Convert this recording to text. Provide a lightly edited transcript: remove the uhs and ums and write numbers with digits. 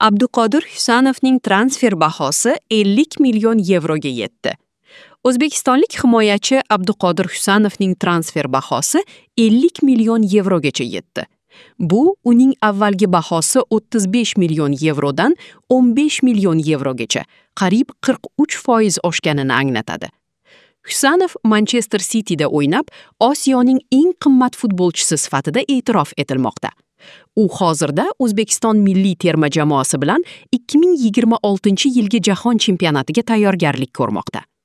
Abduqodir Husanovning transfer bahosi 50 million yevroga yetdi. O'zbekistonlik himoyachi Abduqodir Husanovning transfer bahosi 50 million yevrogacha yetdi. Bu uning avvalgi bahosi 35 million yevrodan 15 million yevrogacha, qariyb 43% oshganini anglatadi. Husanov Manchester Cityda o'ynab, Osiyoning eng qimmat futbolchisi sifatida e'tirof etilmoqda. U hozirda O'zbekiston milliy terma jamoasi bilan 2026-yilgi jahon chempionatiga tayyorgarlik ko'rmoqda.